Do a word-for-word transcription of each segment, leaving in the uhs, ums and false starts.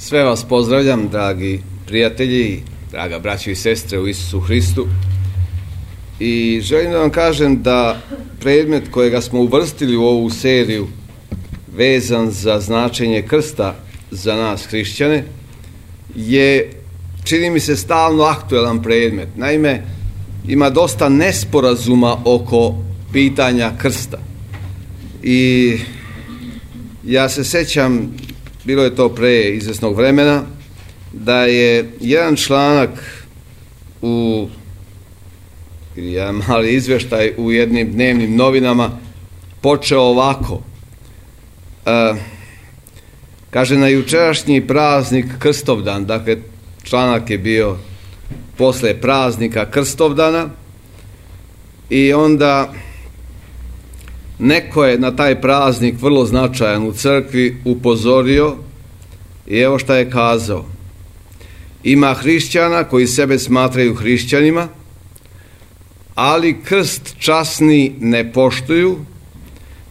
Sve vas pozdravljam, dragi prijatelji, draga braćo i sestre u Isusu Hristu. I želim da vam kažem da predmet kojega smo uvrstili u ovu seriju vezan za značenje krsta za nas hrišćane je, čini mi se, stalno aktuelan predmet. Naime, ima dosta nesporazuma oko pitanja krsta. I ja se sećam, bilo je to pre izvesnog vremena, da je jedan članak u ili jedan mali izveštaj u jednim dnevnim novinama počeo ovako. E, kaže, na jučerašnji praznik Krstovdan, dakle članak je bio posle praznika Krstovdana, i onda neko je na taj praznik vrlo značajan u crkvi upozorio i evo šta je kazao. Ima hrišćana koji sebe smatraju hrišćanima, ali krst časni ne poštuju,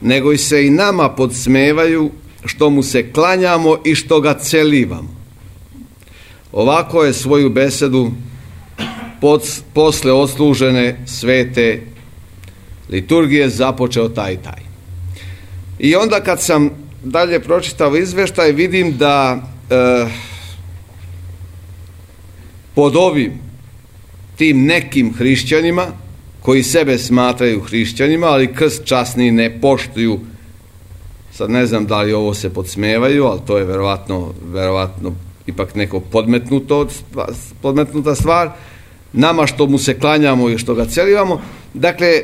nego i se i nama podsmevaju što mu se klanjamo i što ga celivamo. Ovako je svoju besedu pod, posle odslužene svete liturgije započeo taj taj. I onda kad sam dalje pročitao izveštaj, vidim da e, pod ovim tim nekim hrišćanima koji sebe smatraju hrišćanima, ali krst časni ne poštuju, sad ne znam da li ovo se podsmevaju, ali to je verovatno, verovatno ipak neko podmetnuto, podmetnuta stvar, nama što mu se klanjamo i što ga celivamo. Dakle,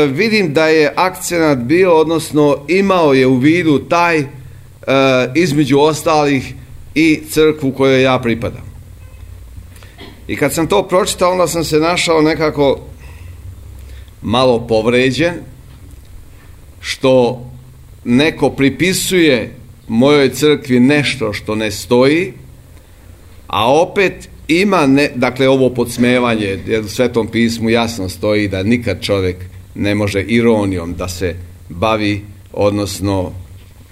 vidim da je akcenat bio, odnosno imao je u vidu taj, između ostalih, i crkvu kojoj ja pripadam. I kad sam to pročitao, onda sam se našao nekako malo povređen što neko pripisuje mojoj crkvi nešto što ne stoji, a opet ima, ne, dakle ovo podsmevanje, jer u Svetom pismu jasno stoji da nikad čovjek ne može ironijom da se bavi, odnosno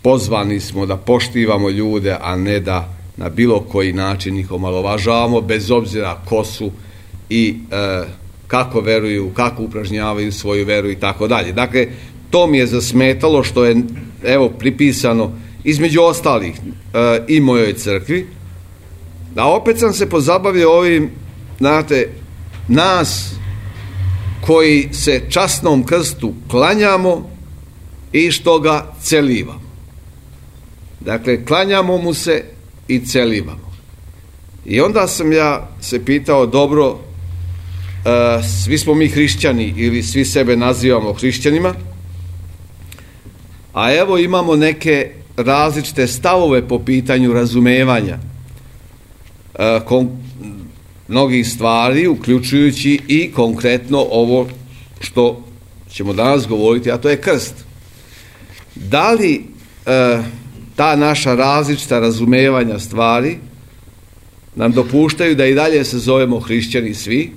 pozvani smo da poštivamo ljude, a ne da na bilo koji način ih omalovažavamo, bez obzira ko su i e, kako veruju, kako upražnjavaju svoju veru i tako dalje. Dakle, to mi je zasmetalo što je, evo, pripisano između ostalih e, i mojoj crkvi. A opet sam se pozabavio ovim, znate, nas koji se časnom krstu klanjamo i što ga celivamo. Dakle, klanjamo mu se i celivamo. I onda sam ja se pitao, dobro, e, svi smo mi hrišćani ili svi sebe nazivamo hrišćanima, a evo imamo neke različite stavove po pitanju razumevanja e, kon, mnogih stvari, uključujući i konkretno ovo što ćemo danas govoriti, a to je krst. Da li e, ta naša različita razumevanja stvari nam dopuštaju da i dalje se zovemo hrišćani svi,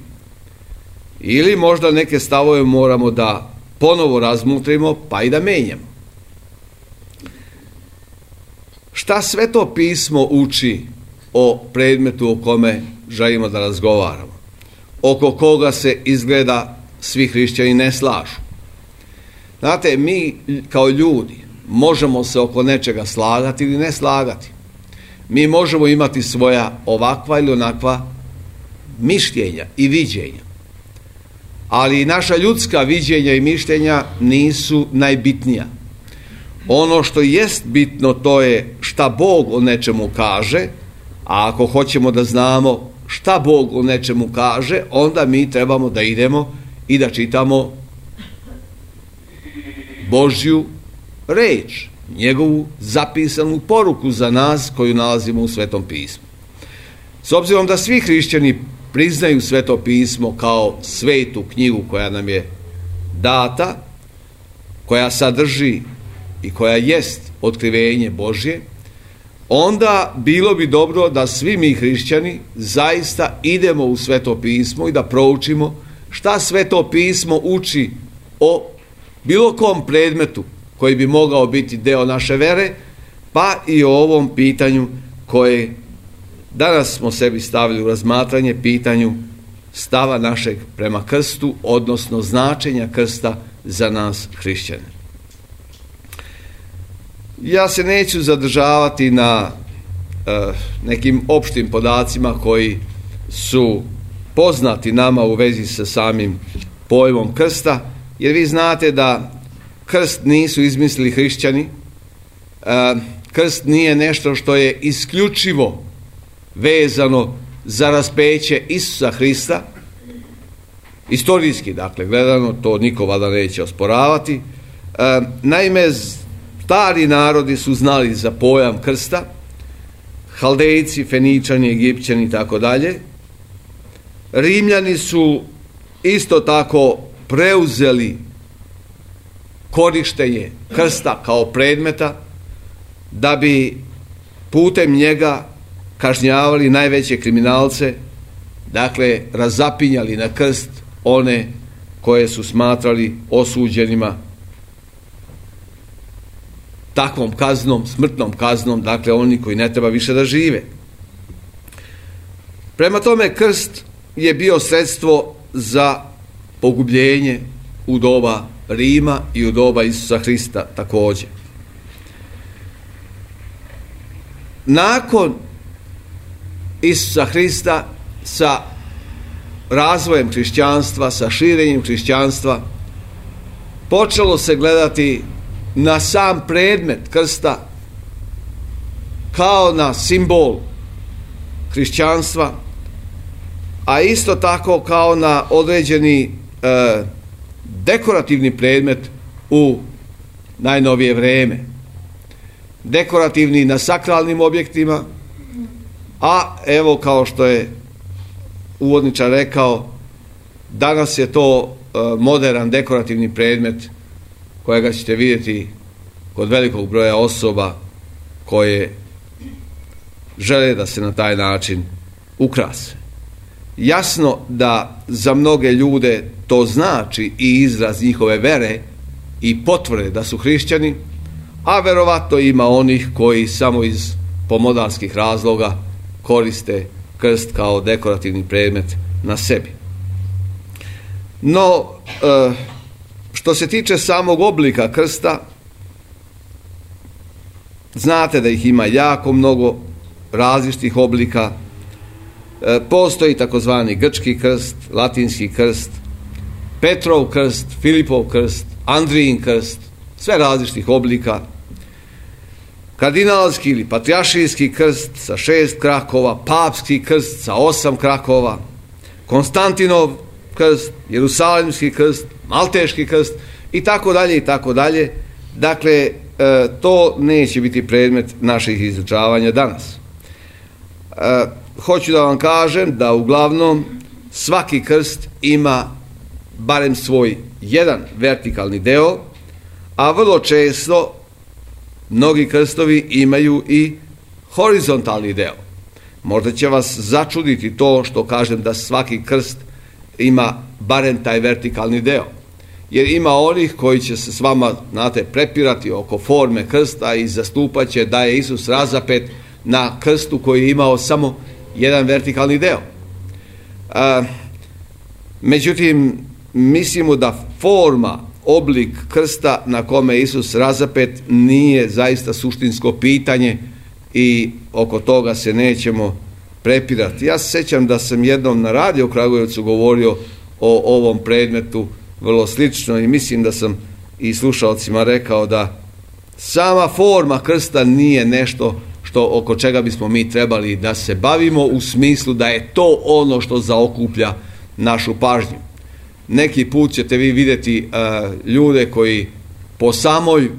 ili možda neke stavove moramo da ponovo razmutrimo pa i da menjamo? Šta Sveto pismo uči o predmetu o kome želimo da razgovaramo, oko koga se izgleda svi hrišćani ne slažu? Znate, mi kao ljudi možemo se oko nečega slagati ili ne slagati. Mi možemo imati svoja ovakva ili onakva mišljenja i viđenja. Ali naša ljudska viđenja i mišljenja nisu najbitnija. Ono što jest bitno, to je šta Bog o nečemu kaže, a ako hoćemo da znamo šta Bog o nečemu kaže, onda mi trebamo da idemo i da čitamo Božju reč, njegovu zapisanu poruku za nas koju nalazimo u Svetom pismu. S obzirom da svi hrišćani priznaju Sveto pismo kao svetu knjigu koja nam je data, koja sadrži i koja jest otkrivenje Božje, onda bilo bi dobro da svi mi hrišćani zaista idemo u Sveto pismo i da proučimo šta Sveto pismo uči o bilo kom predmetu koji bi mogao biti deo naše vere, pa i o ovom pitanju koje danas smo sebi stavili u razmatranje pitanju stava našeg prema krstu, odnosno značenja krsta za nas hrišćane. Ja se neću zadržavati na uh, nekim opštim podacima koji su poznati nama u vezi sa samim pojmom krsta, jer vi znate da krst nisu izmislili hrišćani, uh, krst nije nešto što je isključivo vezano za raspeće Isusa Hrista. Istorijski, dakle, gledano, to niko valjda neće osporavati. E, naime, stari narodi su znali za pojam krsta, Haldejci, Feničani, Egipćani i tako dalje. Rimljani su isto tako preuzeli korištenje krsta kao predmeta da bi putem njega kažnjavali najveće kriminalce, dakle razapinjali na krst one koje su smatrali osuđenima takvom kaznom, smrtnom kaznom, dakle oni koji ne treba više da žive. Prema tome, krst je bio sredstvo za pogubljenje u doba Rima i u doba Isusa Hrista također. Nakon Isusa Hrista, sa razvojem hrišćanstva, sa širenjem hrišćanstva, počelo se gledati na sam predmet krsta kao na simbol hrišćanstva, a isto tako kao na određeni e, dekorativni predmet u najnovije vreme. Dekorativni na sakralnim objektima, a evo, kao što je uvodničar rekao, danas je to e, moderan dekorativni predmet kojega ćete vidjeti kod velikog broja osoba koje žele da se na taj način ukrase. Jasno da za mnoge ljude to znači i izraz njihove vere i potvrde da su hrišćani, a verovatno ima onih koji samo iz pomodarskih razloga koriste krst kao dekorativni predmet na sebi. No, što se tiče samog oblika krsta, znate da ih ima jako mnogo različitih oblika. Postoji takozvani grčki krst, latinski krst, Petrov krst, Filipov krst, Andrijin krst, sve različitih oblika. Kardinalski ili patrijaršijski krst sa šest krakova, papski krst sa osam krakova, Konstantinov krst, Jerusalimski krst, Malteški krst i tako dalje i tako dalje. Dakle, e, to neće biti predmet naših izučavanja danas. E, hoću da vam kažem da uglavnom svaki krst ima barem svoj jedan vertikalni deo, a vrlo često mnogi krstovi imaju i horizontalni deo. Možda će vas začuditi to što kažem da svaki krst ima barem taj vertikalni deo. Jer ima onih koji će se s vama, znate, prepirati oko forme krsta i zastupat će da je Isus razapet na krstu koji je imao samo jedan vertikalni deo. A, međutim, mislimo da forma, oblik krsta na kome je Isus razapet nije zaista suštinsko pitanje i oko toga se nećemo prepirati. Ja se sjećam da sam jednom na radiju u Kragujevcu govorio o ovom predmetu vrlo slično i mislim da sam i slušalcima rekao da sama forma krsta nije nešto što oko čega bismo mi trebali da se bavimo u smislu da je to ono što zaokuplja našu pažnju. Neki put ćete vi vidjeti uh, ljude koji po samoj,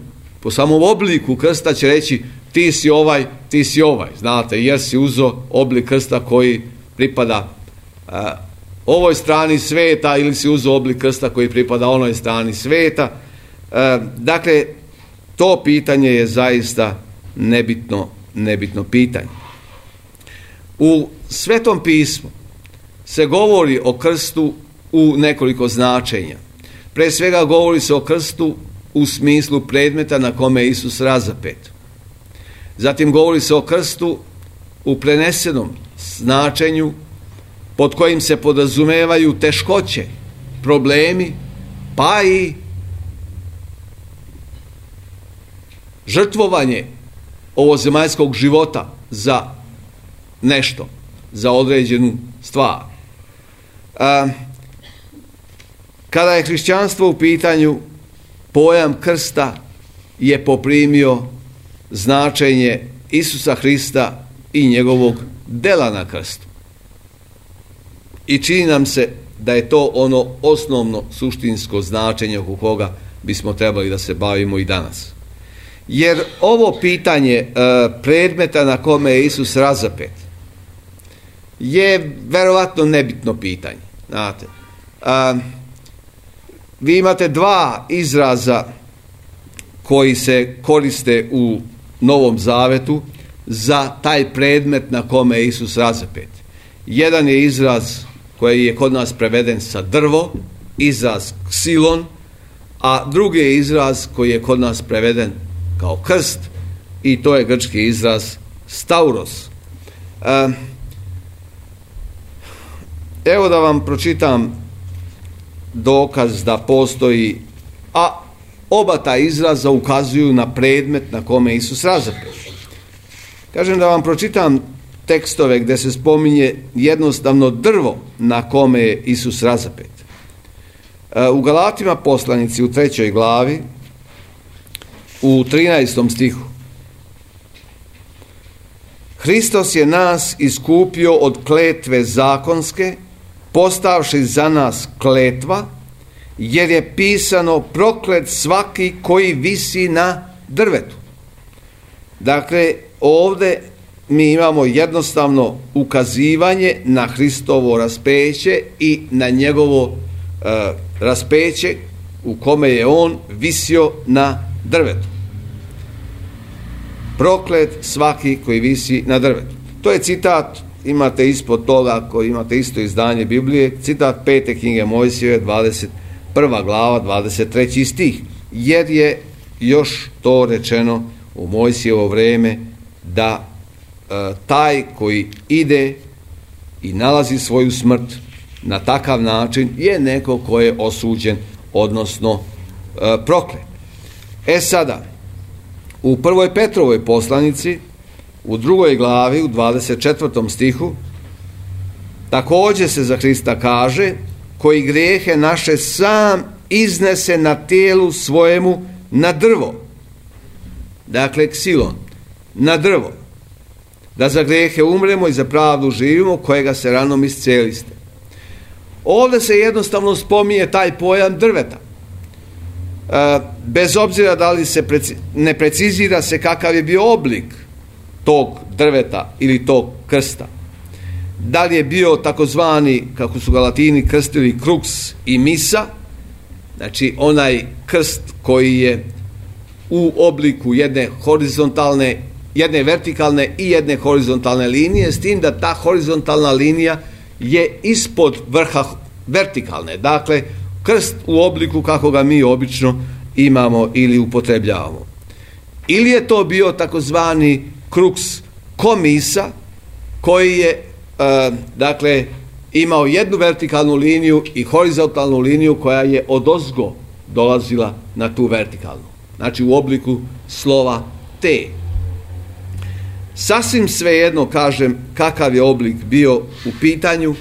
po samom obliku krsta će reći ti si ovaj, ti si ovaj, znate, jer si uzo oblik krsta koji pripada uh, ovoj strani sveta ili si uzo oblik krsta koji pripada onoj strani sveta. Uh, dakle, to pitanje je zaista nebitno, nebitno pitanje. U Svetom pismu se govori o krstu u nekoliko značenja. Pre svega govori se o krstu u smislu predmeta na kome je Isus razapet. Zatim govori se o krstu u prenesenom značenju, pod kojim se podrazumevaju teškoće, problemi, pa i žrtvovanje ovozemaljskog života za nešto, za određenu stvar. A, kada je hrišćanstvo u pitanju, pojam krsta je poprimio značenje Isusa Hrista i njegovog dela na krstu. I čini nam se da je to ono osnovno suštinsko značenje oko koga bismo trebali da se bavimo i danas. Jer ovo pitanje e, predmeta na kome je Isus razapet je verovatno nebitno pitanje. Znate, a, vi imate dva izraza koji se koriste u Novom Zavetu za taj predmet na kome je Isus razapet. Jedan je izraz koji je kod nas preveden sa drvo, izraz ksilon, a drugi je izraz koji je kod nas preveden kao krst, i to je grčki izraz stauros. E, evo da vam pročitam dokaz da postoji, a oba ta izraza ukazuju na predmet na kome je Isus razapet. Kažem da vam pročitam tekstove gdje se spominje jednostavno drvo na kome je Isus razapet. U Galatima poslanici u trećoj glavi, u trinaestom stihu. Hristos je nas iskupio od kletve zakonske, postavši za nas kletva, jer je pisano proklet svaki koji visi na drvetu. Dakle, ovdje mi imamo jednostavno ukazivanje na Hristovo raspeće i na njegovo uh, raspeće u kome je on visio na drvetu. Proklet svaki koji visi na drvetu. To je citat, imate ispod toga, koji imate isto izdanje Biblije, citat pete knjige Mojsijeve, dvadeset prva glava, dvadeset treći stih, jer je još to rečeno u Mojsijevo vreme da e, taj koji ide i nalazi svoju smrt na takav način je neko ko je osuđen, odnosno e, proklet. E sada, u prvoj Petrovoj poslanici, u drugoj glavi, u dvadeset četvrtom stihu, također se za Hrista kaže, koji grijehe naše sam iznese na tijelu svojemu na drvo. Dakle, ksilon, na drvo. Da za grijehe umremo i za pravdu živimo, kojega se ranom isceliste. Ovdje se jednostavno spominje taj pojam drveta. E, bez obzira da li se preci, ne precizira se kakav je bio oblik tog drveta ili tog krsta. Da li je bio takozvani, kako su ga Latini krstili, krux i misa, znači onaj krst koji je u obliku jedne horizontalne, jedne vertikalne i jedne horizontalne linije, s tim da ta horizontalna linija je ispod vrha vertikalne. Dakle, krst u obliku kako ga mi obično imamo ili upotrebljavamo. Ili je to bio takozvani krux komisa, koji je Uh, dakle, imao jednu vertikalnu liniju i horizontalnu liniju koja je odozgo dolazila na tu vertikalnu. Znači u obliku slova T. Sasvim svejedno, kažem, kakav je oblik bio u pitanju,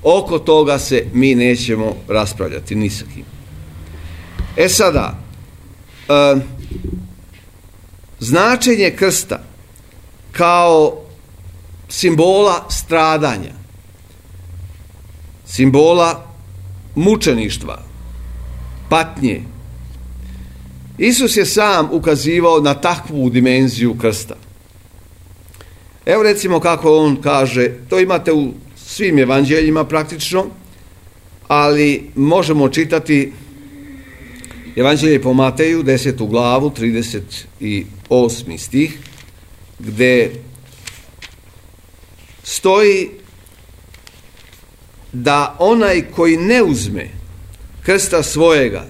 oko toga se mi nećemo raspravljati ni sa kim. E sada, uh, značenje krsta kao simbola stradanja, simbola mučeništva, patnje. Isus je sam ukazivao na takvu dimenziju krsta. Evo recimo kako on kaže, to imate u svim evanđeljima praktično, ali možemo čitati Evanđelje po Mateju, desetu glavu, trideset osmi stih, gde stoji da onaj koji ne uzme krsta svojega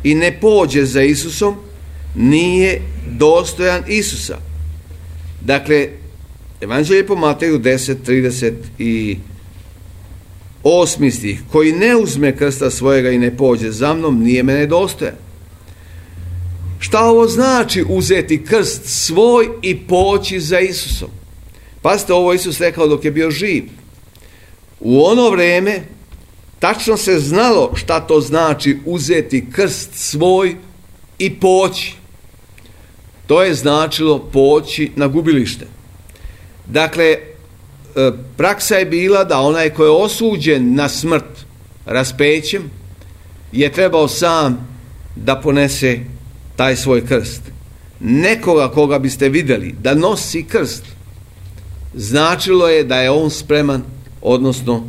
i ne pođe za Isusom, nije dostojan Isusa. Dakle, Evanđelje po Mateju deset, trideset osam stih. Koji ne uzme krsta svojega i ne pođe za mnom, nije mene dostojan. Šta ovo znači uzeti krst svoj i poći za Isusom? Pazite, ovo Isus rekao dok je bio živ. U ono vrijeme tačno se znalo šta to znači uzeti krst svoj i poći. To je značilo poći na gubilište. Dakle, praksa je bila da onaj ko je osuđen na smrt raspećem je trebao sam da ponese taj svoj krst. Nekoga koga biste vidjeli da nosi krst, značilo je da je on spreman, odnosno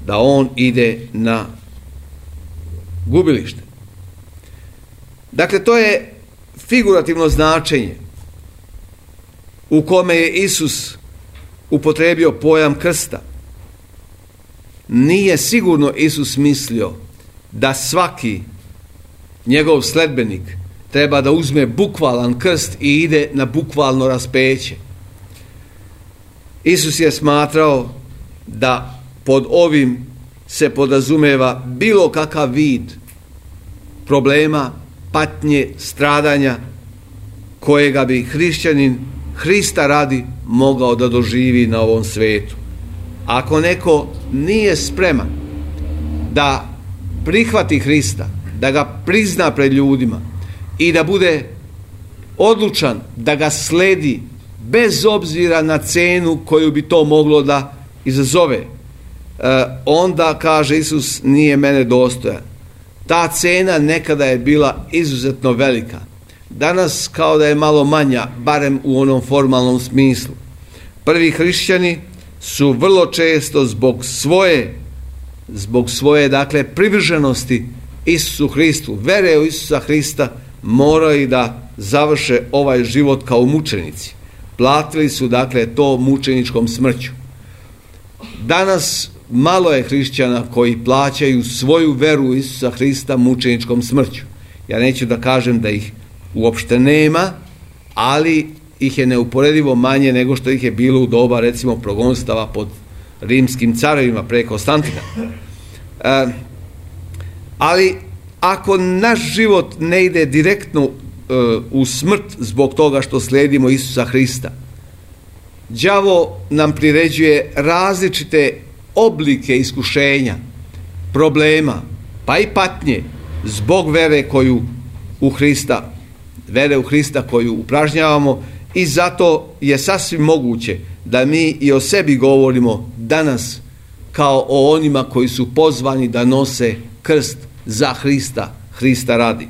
da on ide na gubilište. Dakle, to je figurativno značenje u kome je Isus upotrijebio pojam krsta. Nije sigurno Isus mislio da svaki njegov sledbenik treba da uzme bukvalan krst i ide na bukvalno raspeće. Isus je smatrao da pod ovim se podrazumeva bilo kakav vid problema, patnje, stradanja kojega bi hrišćanin Hrista radi mogao da doživi na ovom svijetu. Ako neko nije spreman da prihvati Hrista, da ga prizna pred ljudima i da bude odlučan da ga sledi bez obzira na cenu koju bi to moglo da izazove, onda, kaže Isus, nije mene dostojan. Ta cena nekada je bila izuzetno velika. Danas kao da je malo manja, barem u onom formalnom smislu. Prvi hrišćani su vrlo često zbog svoje, zbog svoje, dakle, privrženosti Isusu Hristu, vere u Isusa Hrista, moraju da završe ovaj život kao mučenici. Platili su, dakle, to mučeničkom smrću. Danas malo je hrišćana koji plaćaju svoju veru u Isusa Hrista mučeničkom smrću. Ja neću da kažem da ih uopšte nema, ali ih je neuporedivo manje nego što ih je bilo u doba, recimo, progonstava pod rimskim carevima pre Konstantina. E, ali ako naš život ne ide direktno e, u smrt zbog toga što slijedimo Isusa Hrista, đavo nam priređuje različite oblike iskušenja, problema, pa i patnje zbog vere koju u Hrista, vere u Hrista koju upražnjavamo, i zato je sasvim moguće da mi i o sebi govorimo danas kao o onima koji su pozvani da nose krst za Hrista, Hrista radi.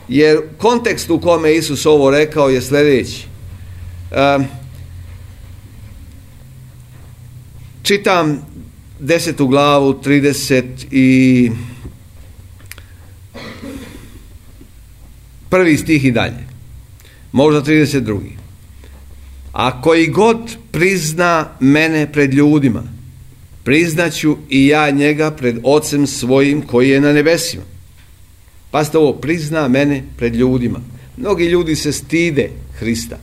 Jer kontekst u kome Isus ovo rekao je sljedeći. E, čitam desetu glavu, trideset i prvi stih i dalje, možda trideset drugi. A koji god prizna mene pred ljudima, priznaću i ja njega pred Ocem svojim koji je na nebesima. Pazite ovo, prizna mene pred ljudima. Mnogi ljudi se stide Hrista.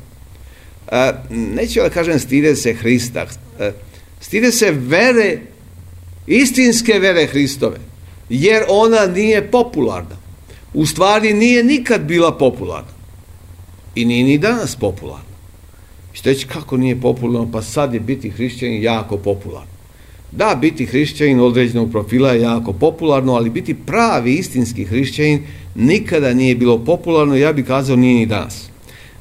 E, neću da kažem stide se Hrista, e, stide se vere, istinske vere Hristove, jer ona nije popularna. U stvari nije nikad bila popularna. I nije ni danas popularna. Što reći, kako nije popularno? Pa sad je biti hrišćanin jako popularno. Da, biti hrišćanin određenog profila je jako popularno, ali biti pravi istinski hrišćanin nikada nije bilo popularno, ja bih kazao nije ni danas.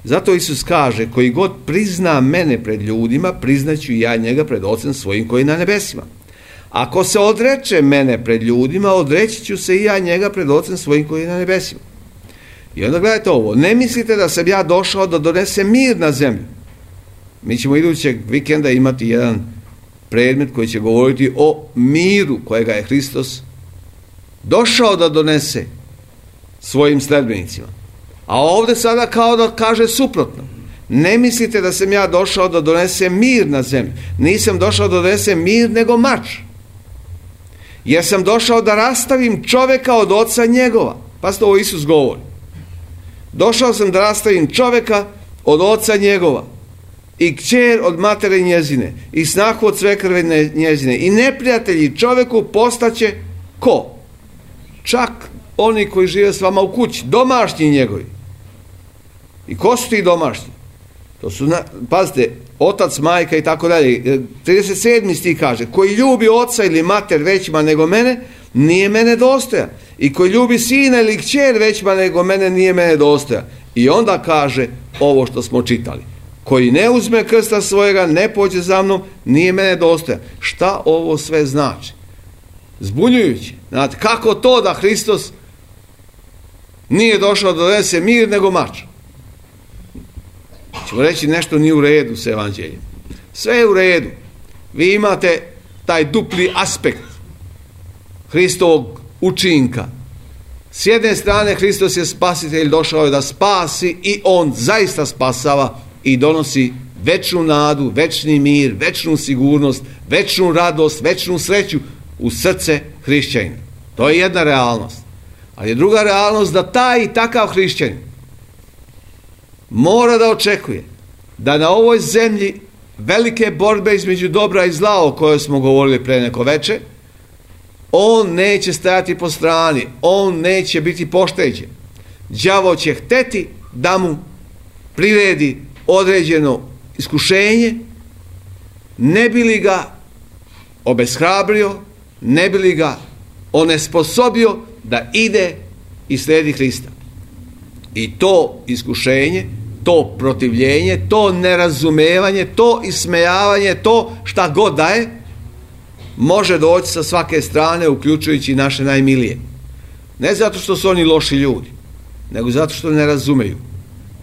Zato Isus kaže, koji god prizna mene pred ljudima, priznaću i ja njega pred Ocem svojim koji je na nebesima. Ako se odreče mene pred ljudima, odreći ću se i ja njega pred Ocem svojim koji je na nebesima. I onda gledajte ovo, ne mislite da sam ja došao da donesem mir na zemlju. Mi ćemo idućeg vikenda imati jedan predmet koji će govoriti o miru kojega je Hristos došao da donese svojim sledbenicima. A ovdje sada kao da kaže suprotno. Ne mislite da sam ja došao da donesem mir na zemlju. Nisam došao da donesem mir, nego mač. Jer sam došao da rastavim čovjeka od oca njegova. Pazite, ovo Isus govori. Došao sam da rastavim čovjeka od oca njegova. i kćer od matere njezine i snahu od svekrve njezine i neprijatelji čovjeku postaće ko? Čak oni koji žive s vama u kući, domašnji njegovi. I ko su ti domašnji? To su, pazite, otac, majka i tako dalje. trideset sedmi stih kaže, koji ljubi oca ili mater većima nego mene, nije mene dostojan. I koji ljubi sina ili kćer većima nego mene, nije mene dostojan. I onda kaže ovo što smo čitali. Koji ne uzme krsta svojega, ne pođe za mnom, nije mene dostojan. Šta ovo sve znači? Zbunjujući. Znate, kako to da Hristos nije došao da donese mir nego mač? Ćemo reći nešto nije u redu s evanđeljem. Sve je u redu. Vi imate taj dupli aspekt Hristovog učinka. S jedne strane Hristos je spasitelj, došao je da spasi i on zaista spasava i donosi večnu nadu, večni mir, večnu sigurnost, večnu radost, večnu sreću u srce hrišćanina. To je jedna realnost. Ali je druga realnost da taj i takav hrišćanin mora da očekuje da na ovoj zemlji velike borbe između dobra i zla o kojoj smo govorili pre neko veče, on neće stajati po strani, on neće biti pošteđen. Đavo će hteti da mu priredi određeno iskušenje, ne bi li ga obeshrabrio, ne bi li ga onesposobio da ide i slijedi Hrista. I to iskušenje, to protivljenje, to nerazumevanje, to ismejavanje, to šta god da je, može doći sa svake strane, uključujući naše najmilije. Ne zato što su oni loši ljudi, nego zato što ne razumeju.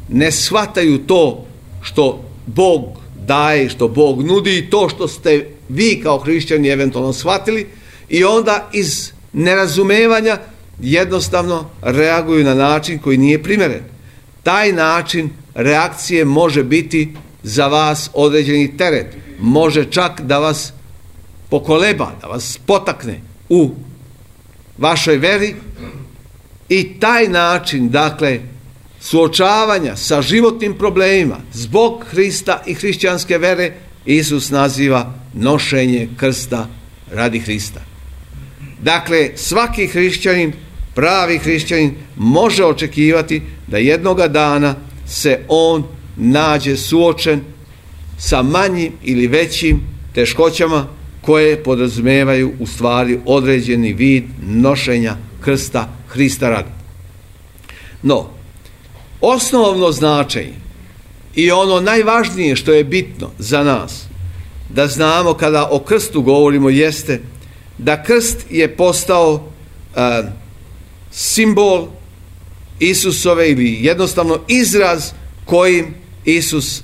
Ne shvataju to što Bog daje, što Bog nudi i to što ste vi kao hrišćani eventualno shvatili i onda iz nerazumevanja jednostavno reaguju na način koji nije primjeren. Taj način reakcije može biti za vas određeni teret. Može čak da vas pokoleba, da vas potakne u vašoj veri i taj način, dakle, suočavanja sa životnim problemima zbog Hrista i hrišćanske vere, Isus naziva nošenje krsta radi Hrista. Dakle, svaki hrišćanin, pravi hrišćanin, može očekivati da jednoga dana se on nađe suočen sa manjim ili većim teškoćama koje podrazumevaju u stvari određeni vid nošenja krsta Hrista radi. No, osnovno značenje i ono najvažnije što je bitno za nas da znamo kada o krstu govorimo jeste da krst je postao uh, simbol Isusove ili jednostavno izraz kojim Isus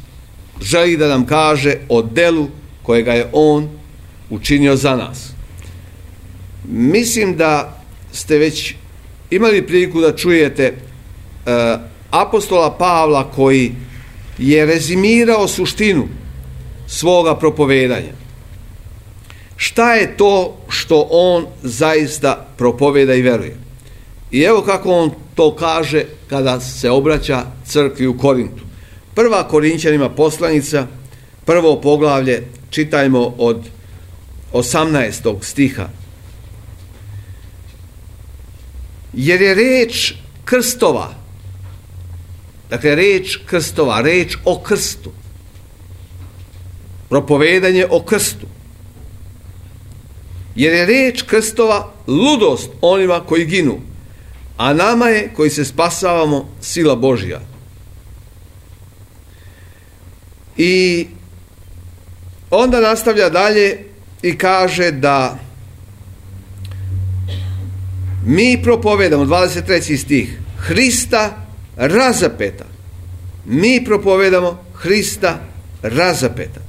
želi da nam kaže o delu kojega je on učinio za nas. Mislim da ste već imali priliku da čujete uh, apostola Pavla koji je rezimirao suštinu svoga propovedanja. Šta je to što on zaista propoveda i veruje? I evo kako on to kaže kada se obraća crkvi u Korintu. Prva Korinćanima poslanica, prvo poglavlje, čitajmo od osamnaestog stiha. Jer je reč krstova, dakle reč krstova, reč o krstu, propovedanje o krstu, jer je reč krstova ludost onima koji ginu, a nama je koji se spasavamo sila Božja. I onda nastavlja dalje i kaže da mi propovedamo, dvadeset treći stih, Hrista razapeta. Mi propovedamo Hrista razapeta.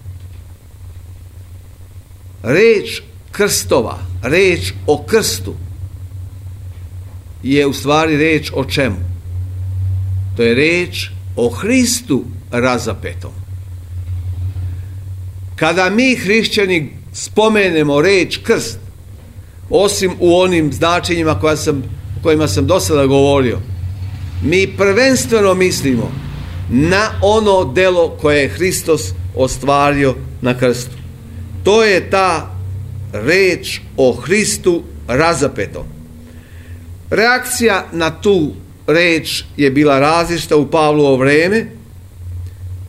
Reč krstova, reč o krstu je u stvari reč o čemu? To je reč o Hristu razapetom. Kada mi hrišćani spomenemo reč krst, osim u onim značenjima koja sam, o kojima sam do sada govorio, mi prvenstveno mislimo na ono delo koje je Hristos ostvario na krstu. To je ta reč o Hristu razapetom. Reakcija na tu reč je bila različita u Pavlovo vreme.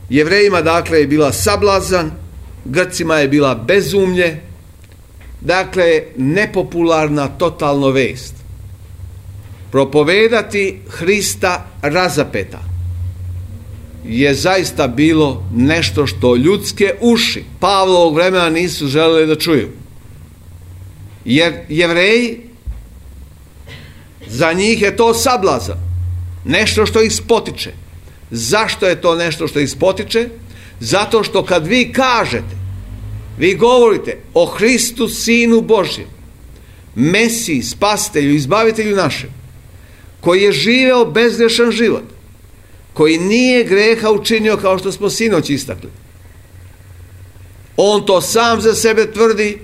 Jevrejima dakle je bila sablazan, Grcima je bila bezumlje, dakle nepopularna totalno vest. Propovedati Hrista razapeta je zaista bilo nešto što ljudske uši Pavlovog vremena nisu želeli da čuju. Jer Jevreji, za njih je to sablazan, nešto što ih spotiče. Zašto je to nešto što ih spotiče? Zato što kad vi kažete, vi govorite o Hristu, Sinu Božjem, Mesiji, Spasitelju, Izbavitelju našem, koji je živeo bezgrešan život, koji nije greha učinio kao što smo sinoć istakli. On to sam za sebe tvrdi,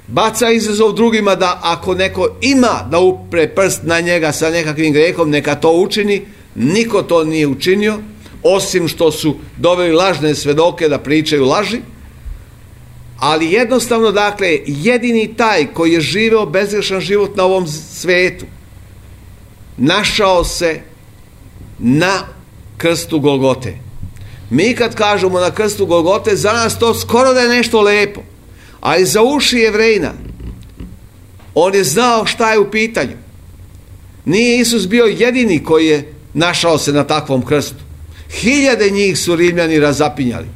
baca izazov drugima da ako neko ima da upre prst na njega sa nekakvim grehom, neka to učini. Niko to nije učinio, osim što su doveli lažne svedoke da pričaju laži. Ali jednostavno, dakle, jedini taj koji je živeo bezgrešan život na ovom svetu našao se na krstu Golgote. Mi kad kažemo na krstu Golgote, za nas to skoro da je nešto lepo, ali za uši Jevrejina on je znao šta je u pitanju. Nije Isus bio jedini koji je našao se na takvom krstu. Hiljade njih su Rimljani razapinjali.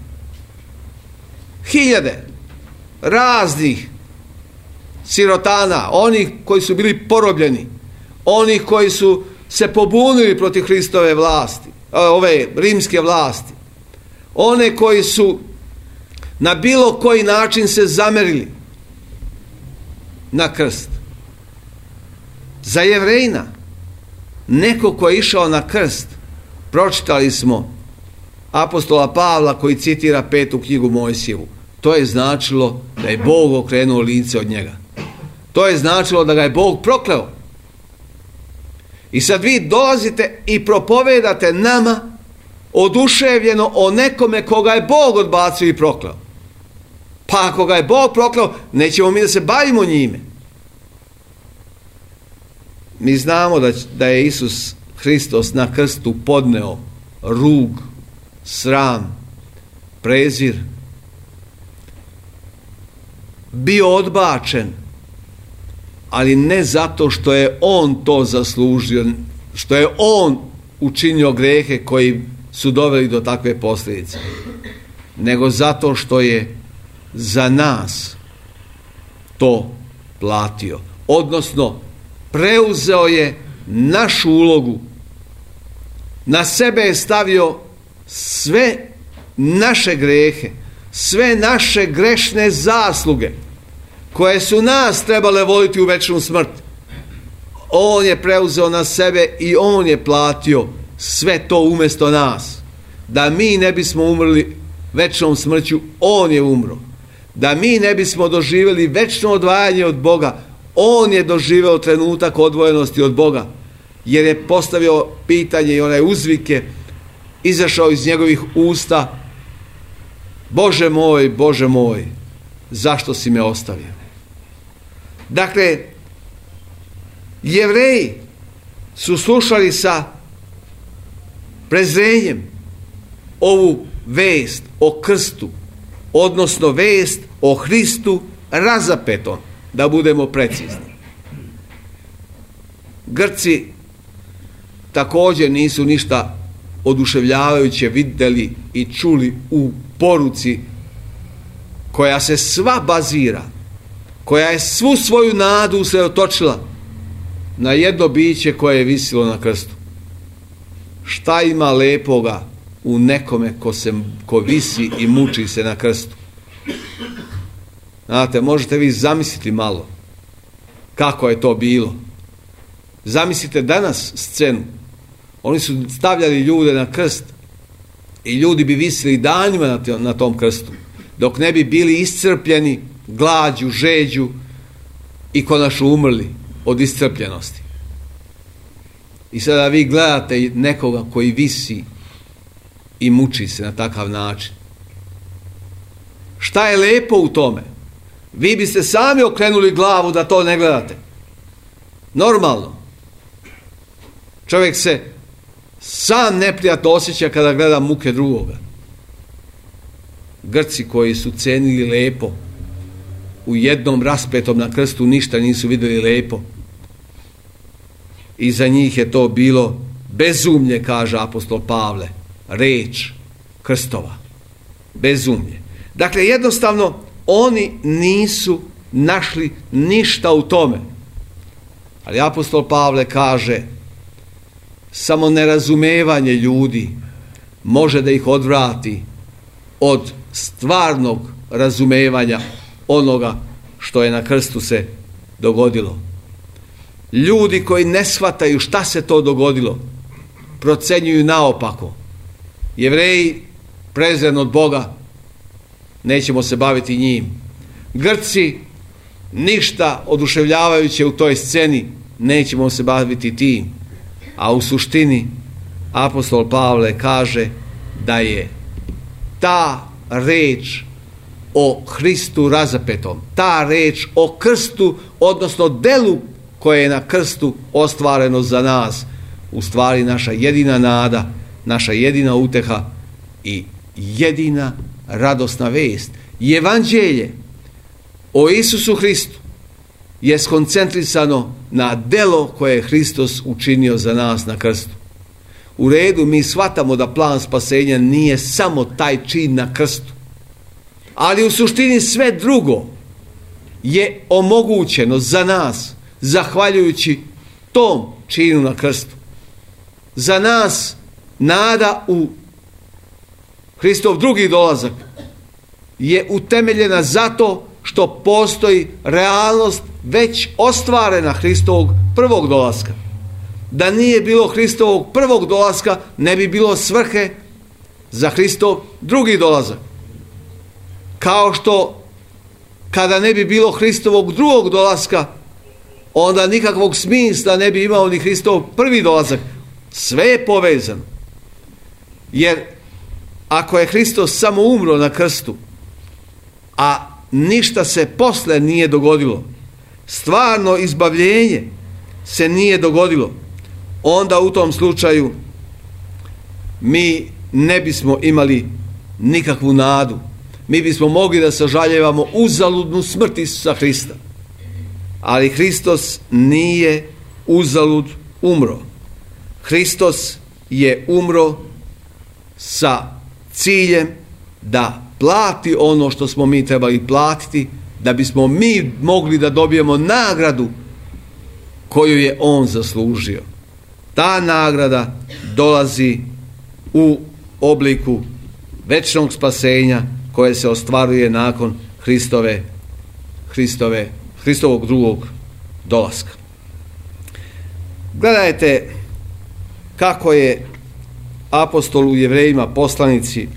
Hiljade raznih sirotana, onih koji su bili porobljeni, onih koji su se pobunili protiv Hristove vlasti, ove rimske vlasti, one koji su na bilo koji način se zamerili na krst. Za Jevrejina, neko ko je išao na krst, pročitali smo apostola Pavla koji citira petu knjigu Mojsijevu. To je značilo da je Bog okrenuo lice od njega. To je značilo da ga je Bog prokleo. I sad vi dolazite i propovedate nama oduševljeno o nekome koga je Bog odbacio i prokleo. Pa ako ga je Bog prokleo, nećemo mi da se bavimo njime. Mi znamo da, da je Isus Hristos na krstu podneo rug, sram, prezir, bio odbačen, ali ne zato što je on to zaslužio, što je on učinio grehe koji su doveli do takve posljedice, nego zato što je za nas to platio. Odnosno, preuzeo je našu ulogu, na sebe je stavio sve naše grehe, sve naše grešne zasluge koje su nas trebale voditi u večnu smrt. On je preuzeo na sebe i on je platio sve to umjesto nas. Da mi ne bismo umrli večnom smrću, on je umro. Da mi ne bismo doživjeli večno odvajanje od Boga, on je doživeo trenutak odvojenosti od Boga, jer je postavio pitanje i onaj uzvike izašao iz njegovih usta: Bože moj, Bože moj, zašto si me ostavio? Dakle, Jevreji su slušali sa prezrenjem ovu vest o krstu, odnosno vest o Hristu razapetom, da budemo precizni. Grci također nisu ništa oduševljavajuće vidjeli i čuli u poruci koja se sva bazira, koja je svu svoju nadu usredotočila na jedno biće koje je visilo na krstu. Šta ima lepoga u nekome ko, se, ko visi i muči se na krstu? Znate, možete vi zamisliti malo kako je to bilo. Zamislite danas scenu. Oni su stavljali ljude na krst i ljudi bi visili danima na tom krstu, dok ne bi bili iscrpljeni glađu, žeđu i konačno umrli od iscrpljenosti. I sada vi gledate nekoga koji visi i muči se na takav način. Šta je lepo u tome? Vi biste sami okrenuli glavu da to ne gledate. Normalno. Čovjek se sam neprijatno osjeća kada gleda muke drugoga. Grci koji su cenili lepo, u jednom raspetom na krstu ništa nisu vidjeli lepo. I za njih je to bilo bezumlje, kaže apostol Pavle, reč krstova. Bezumlje. Dakle, jednostavno, oni nisu našli ništa u tome. Ali apostol Pavle kaže, samo nerazumevanje ljudi može da ih odvrati od stvarnog razumevanja onoga što je na krstu se dogodilo. Ljudi koji ne shvataju šta se to dogodilo, procenjuju naopako. Jevreji prezren od Boga, nećemo se baviti njim. Grci, ništa oduševljavajuće u toj sceni, nećemo se baviti tim. A u suštini apostol Pavle kaže da je ta reč o Hristu razapetom, ta reč o krstu, odnosno delu koje je na krstu ostvareno za nas, u stvari naša jedina nada, naša jedina uteha i jedina radosna vest. Evanđelje o Isusu Hristu je skoncentrisano na delo koje je Hristos učinio za nas na krstu. U redu, mi shvatamo da plan spasenja nije samo taj čin na krstu, ali u suštini sve drugo je omogućeno za nas zahvaljujući tom činu na krstu. Za nas nada u Hristov drugi dolazak je utemeljena zato što postoji realnost već ostvarena Hristovog prvog dolaska. Da nije bilo Hristovog prvog dolaska, ne bi bilo svrhe za Hristov drugi dolazak. Kao što kada ne bi bilo Hristovog drugog dolaska, onda nikakvog smisla ne bi imao ni Hristov prvi dolazak. Sve je povezano. Jer ako je Hristos samo umro na krstu, a ništa se posle nije dogodilo, stvarno izbavljenje se nije dogodilo, onda u tom slučaju mi ne bismo imali nikakvu nadu. Mi bismo mogli da sažaljevamo uzaludnu smrt Isusa Hrista. Ali Hristos nije uzalud umro. Hristos je umro sa ciljem da plati ono što smo mi trebali platiti, da bismo mi mogli da dobijemo nagradu koju je on zaslužio. Ta nagrada dolazi u obliku večnog spasenja koje se ostvaruje nakon Hristove, Hristove, Hristovog drugog dolaska. Gledajte kako je apostol u Jevrejima poslanici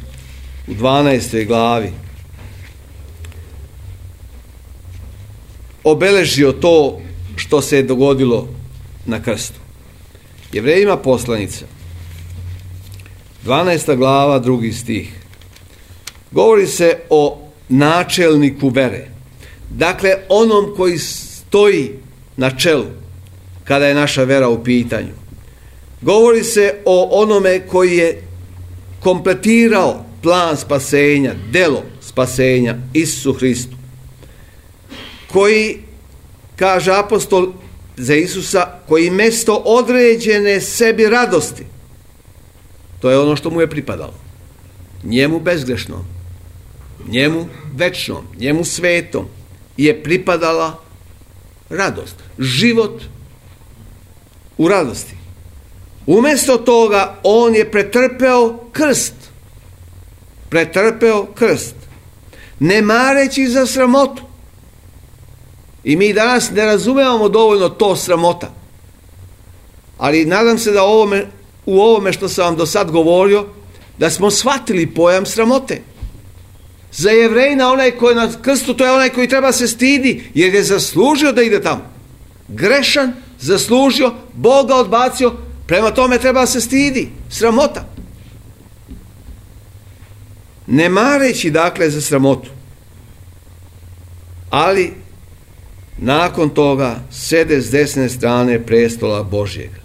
u dvanaestoj glavi obeležio to što se je dogodilo na krstu. Jevrejima poslanica, dvanaesta glava, drugi stih. Govori se o načelniku vere. Dakle, onom koji stoji na čelu kada je naša vera u pitanju. Govori se o onome koji je kompletirao plan spasenja, delo spasenja, Isusu Hristu. Koji, kaže apostol za Isusa, koji mesto određene sebi radosti, to je ono što mu je pripadalo, njemu bezgrešnom, njemu večnom, njemu svetom je pripadala radost, život u radosti. Umjesto toga on je pretrpeo krst. Pretrpeo krst. Ne mareći za sramotu. I mi danas ne razumevamo dovoljno to sramota. Ali nadam se da ovome, u ovome što sam vam do sad govorio, da smo shvatili pojam sramote. Za Jevrejina onaj koji je na krstu, to je onaj koji treba se stidi, jer je zaslužio da ide tamo. Grešan, zaslužio, Bog ga odbacio, prema tome treba se stidi. Sramota. ne mareći dakle za sramotu, ali nakon toga sede s desne strane prestola Božjega.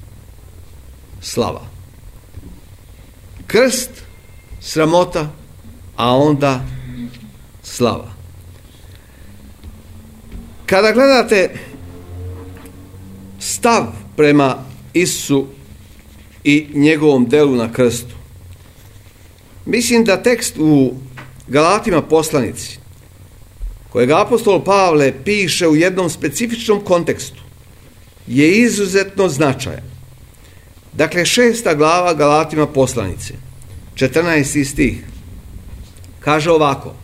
Slava. Krst, sramota, a onda slava. Kada gledate stav prema Isusu i njegovom delu na krstu, mislim da tekst u Galatima poslanici, kojeg apostol Pavle piše u jednom specifičnom kontekstu, je izuzetno značajan. Dakle, šesta glava Galatima poslanice, četrnaesti stih, kaže ovako: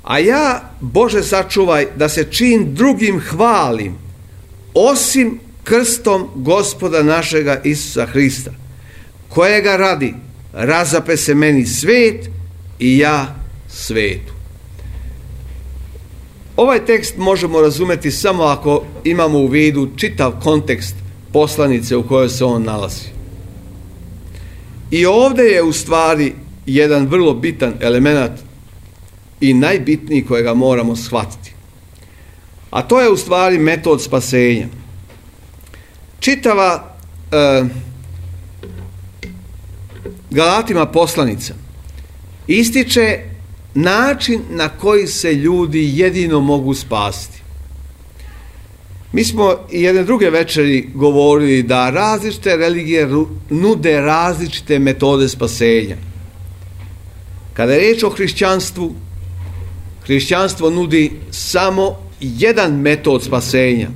a ja, Bože sačuvaj, da se čim drugim hvalim, osim krstom Gospoda našega Isusa Hrista, kojega radi razape se meni svet i ja svetu. Ovaj tekst možemo razumeti samo ako imamo u vidu čitav kontekst poslanice u kojoj se on nalazi. I ovdje je u stvari jedan vrlo bitan element i najbitniji kojega moramo shvatiti. A to je u stvari metod spasenja. Čitava e, Galatima poslanica ističe način na koji se ljudi jedino mogu spasiti. Mi smo i jedne druge večeri govorili da različite religije nude različite metode spasenja. Kada je riječ o hrišćanstvu, hrišćanstvo nudi samo jedan metod spasenja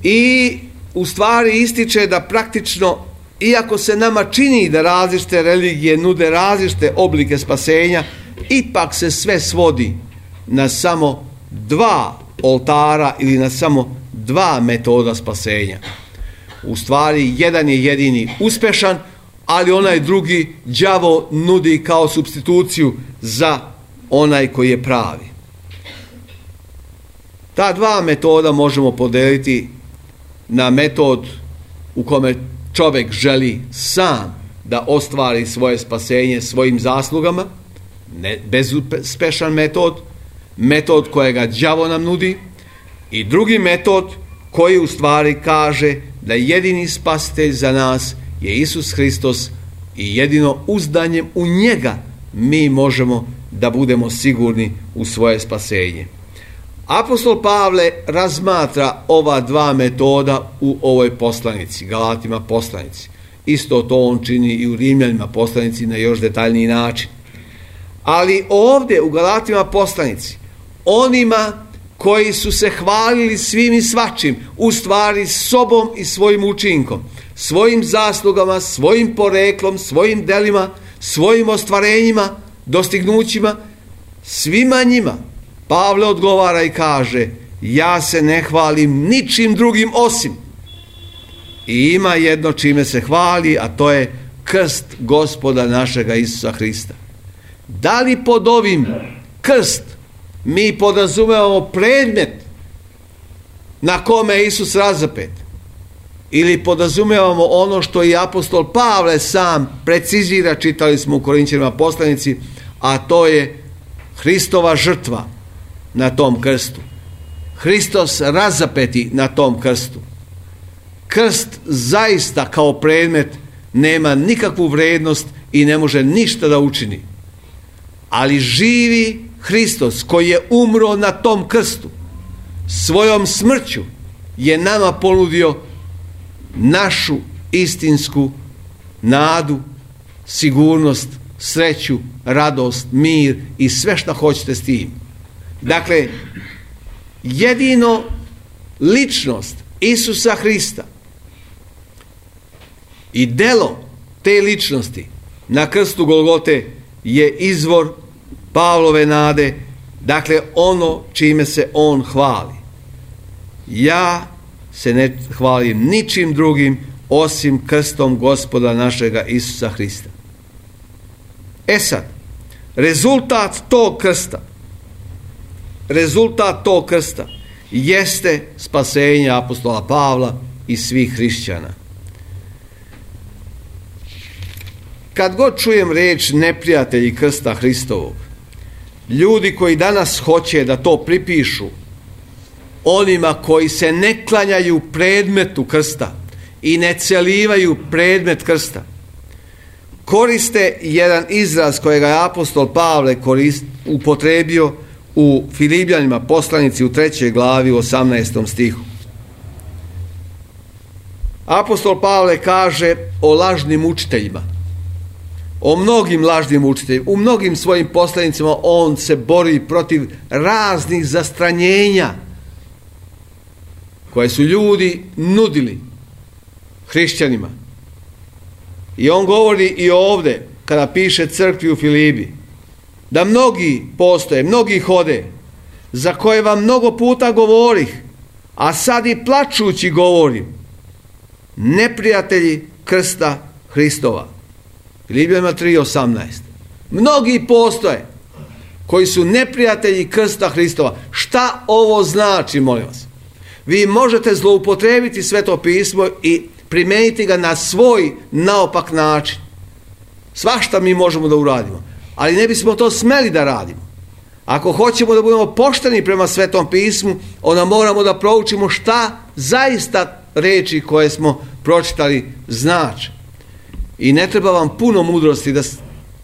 i u stvari ističe da praktično, iako se nama čini da različite religije nude različite oblike spasenja, ipak se sve svodi na samo dva oltara ili na samo dva metoda spasenja. U stvari, jedan je jedini uspešan, ali onaj drugi đavo nudi kao supstituciju za onaj koji je pravi. Ta dva metoda možemo podeliti na metod u kome čovjek želi sam da ostvari svoje spasenje svojim zaslugama, ne, bezuspešan metod, metod kojega đavo nam nudi, i drugi metod koji u stvari kaže da jedini spasitelj za nas je Isus Hristos i jedino uzdanjem u njega mi možemo da budemo sigurni u svoje spasenje. Apostol Pavle razmatra ova dva metoda u ovoj poslanici, Galatima poslanici. Isto to on čini i u Rimljanima poslanici na još detaljniji način. Ali ovdje u Galatima poslanici, onima koji su se hvalili svim i svačim, u stvari sobom i svojim učinkom, svojim zaslugama, svojim poreklom, svojim delima, svojim ostvarenjima, dostignućima, svima njima Pavle odgovara i kaže: ja se ne hvalim ničim drugim osim. I ima jedno čime se hvali, a to je krst Gospoda našega Isusa Hrista. Da li pod ovim krst mi podrazumevamo predmet na kome je Isus razapet, ili podrazumevamo ono što i apostol Pavle sam precizira, čitali smo u Korinćanima poslanici, a to je Hristova žrtva na tom krstu. Hristos razapeti na tom krstu. Krst zaista kao predmet nema nikakvu vrednost i ne može ništa da učini. Ali živi Hristos koji je umro na tom krstu, svojom smrću je nama ponudio našu istinsku nadu, sigurnost, sreću, radost, mir i sve što hoćete s tim. Dakle, jedino ličnost Isusa Hrista i delo te ličnosti na krstu Golgote je izvor Pavlove nade, dakle ono čime se on hvali. Ja se ne hvalim ničim drugim osim krstom Gospoda našega Isusa Hrista. E sad, rezultat tog krsta, rezultat tog krsta jeste spasenje apostola Pavla i svih hrišćana. kad god čujem riječ neprijatelji krsta Hristovog, ljudi koji danas hoće da to pripišu onima koji se ne klanjaju predmetu krsta i ne celivaju predmet krsta, koriste jedan izraz kojega je apostol Pavle korist, upotrebio u Filipljanima poslanici u trećoj glavi u osamnaestom stihu. Apostol Pavle kaže o lažnim učiteljima, o mnogim lažnim učiteljima. U mnogim svojim poslanicima on se bori protiv raznih zastranjenja koje su ljudi nudili hrišćanima. I on govori i ovdje, kada piše crkvi u Filipi, da mnogi postoje, mnogi hode, za koje vam mnogo puta govorih, a sad i plačući govorim, neprijatelji krsta Hristova. Filipljanima tri osamnaest. Mnogi postoje koji su neprijatelji krsta Hristova. Šta ovo znači, molim vas? Vi možete zloupotrebiti Sveto pismo i primijeniti ga na svoj naopak način. Svašta mi možemo da uradimo, ali ne bismo to smeli da radimo. Ako hoćemo da budemo pošteni prema Svetom pismu, onda moramo da proučimo šta zaista riječi koje smo pročitali znači. I ne treba vam puno mudrosti da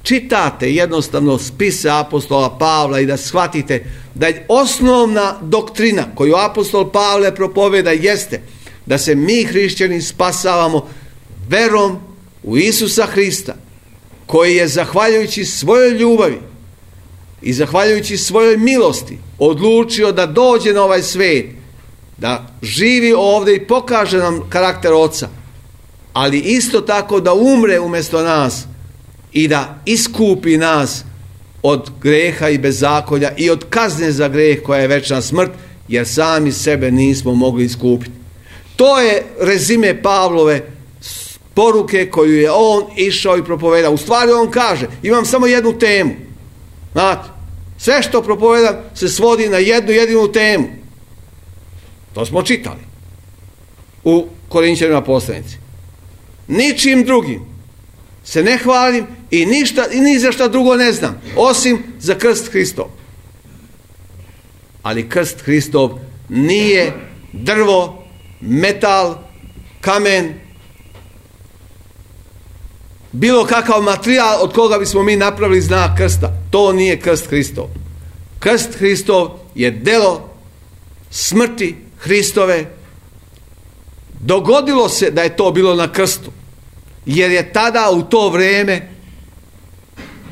čitate jednostavno spise apostola Pavla i da shvatite da je osnovna doktrina koju apostol Pavle propoveda jeste da se mi hrišćani spasavamo verom u Isusa Hrista, koji je zahvaljujući svojoj ljubavi i zahvaljujući svojoj milosti odlučio da dođe na ovaj svijet, da živi ovdje i pokaže nam karakter Oca, ali isto tako da umre umjesto nas i da iskupi nas od greha i bezakonja i od kazne za greh koja je večna smrt, jer sami sebe nismo mogli iskupiti. To je rezime Pavlove poruke koju je on išao i propovedao. U stvari on kaže, imam samo jednu temu. Znate, sve što propovedam se svodi na jednu jedinu temu. To smo čitali u Korinćanima poslanici. Ničim drugim se ne hvalim i ništa i ni za šta drugo ne znam, osim za krst Hristov. Ali krst Hristov nije drvo, metal, kamen, bilo kakav materijal od koga bismo mi napravili znak krsta. To nije krst Hristov. Krst Hristov je delo smrti Hristove. Dogodilo se da je to bilo na krstu, jer je tada u to vrijeme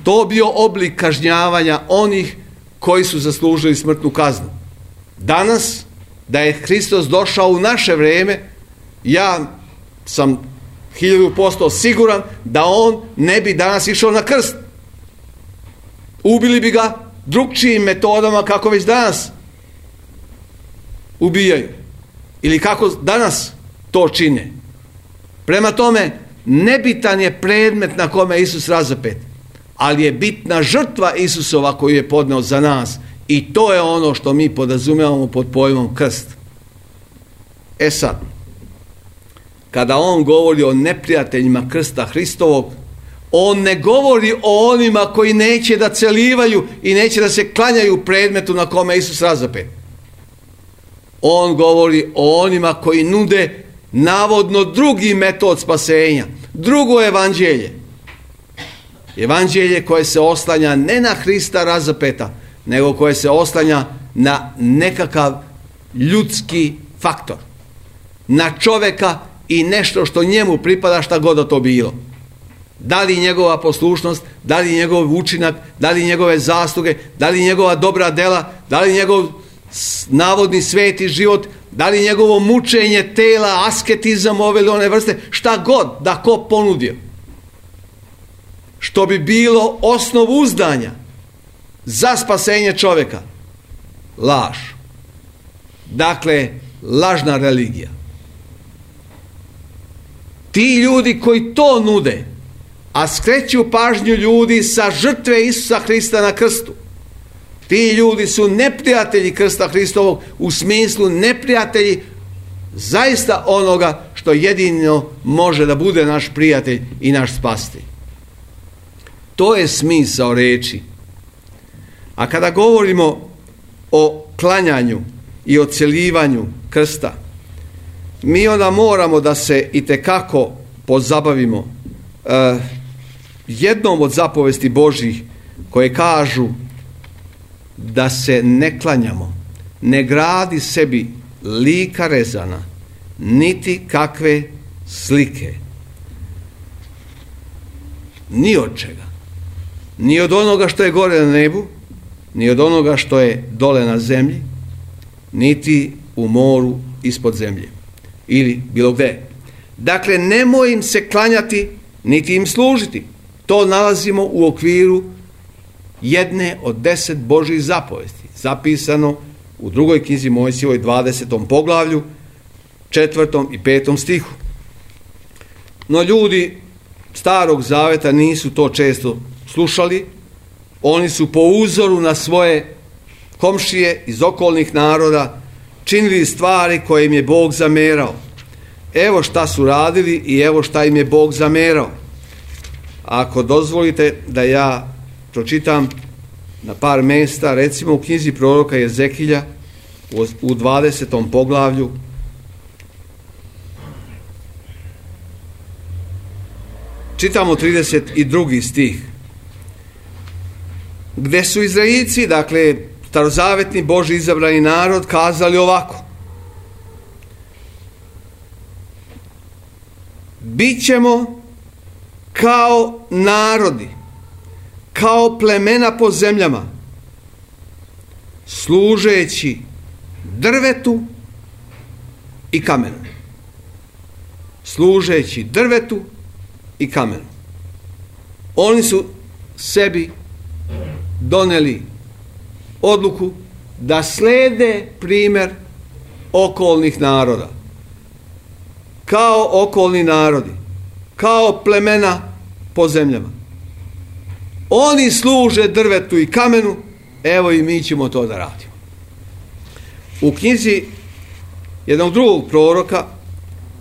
to bio oblik kažnjavanja onih koji su zaslužili smrtnu kaznu. Danas, da je Hristos došao u naše vrijeme, ja sam hiljadu posto siguran da on ne bi danas išao na krst. Ubili bi ga drugčijim metodama kako već danas ubijaju. Ili kako danas to čine. Prema tome, nebitan je predmet na kome je Isus razapet, ali je bitna žrtva Isusova koju je podneo za nas. I to je ono što mi podrazumijevamo pod pojmom krst. E sad, kada on govori o neprijateljima krsta Hristovog, on ne govori o onima koji neće da celivaju i neće da se klanjaju predmetu na kome je Isus razapet. On govori o onima koji nude navodno drugi metod spasenja, drugo evanđelje. Evanđelje koje se oslanja ne na Hrista razapeta, nego koje se oslanja na nekakav ljudski faktor, na čovjeka i nešto što njemu pripada, šta god da to bilo. Da li njegova poslušnost, da li njegov učinak, da li njegove zasluge, da li njegova dobra dela, da li njegov navodni sveti život, da li njegovo mučenje tela, asketizam ove ili one vrste, šta god da ko ponudio. Što bi bilo osnov uzdanja za spasenje čovjeka. Laž. Dakle, lažna religija. Ti ljudi koji to nude, a skreću pažnju ljudi sa žrtve Isusa Hrista na krstu, ti ljudi su neprijatelji krsta Hristovog, u smislu neprijatelji zaista onoga što jedino može da bude naš prijatelj i naš spasitelj. To je smisao reči. A kada govorimo o klanjanju i o celivanju krsta, mi onda moramo da se itekako pozabavimo uh, jednom od zapovesti Božjih koje kažu da se ne klanjamo, ne gradi sebi lika rezana, niti kakve slike. Ni od čega. Ni od onoga što je gore na nebu, ni od onoga što je dole na zemlji, niti u moru ispod zemlje. Ili bilo gde. Dakle, nemoj im se klanjati, niti im služiti. To nalazimo u okviru jedne od deset Božjih zapovesti, zapisano u drugoj knjizi Mojsijevoj dvadesetom poglavlju, četvrtom i petom stihu. No ljudi Starog Zaveta nisu to često slušali. Oni su po uzoru na svoje komšije iz okolnih naroda činili stvari koje im je Bog zamerao. Evo šta su radili i evo šta im je Bog zamerao. Ako dozvolite da ja pročitam na par mesta, recimo u knjizi proroka Jezekilja u dvadesetom poglavlju, čitamo trideset drugi stih, gde su Izraelci, dakle starozavetni Božji izabrani narod, kazali ovako: bićemo kao narodi, kao plemena po zemljama, služeći drvetu i kamenu. Služeći drvetu i kamenu. Oni su sebi doneli odluku da slede primjer okolnih naroda. Kao okolni narodi, kao plemena po zemljama. Oni služe drvetu i kamenu, evo i mi ćemo to da radimo. U knjizi jednog drugog proroka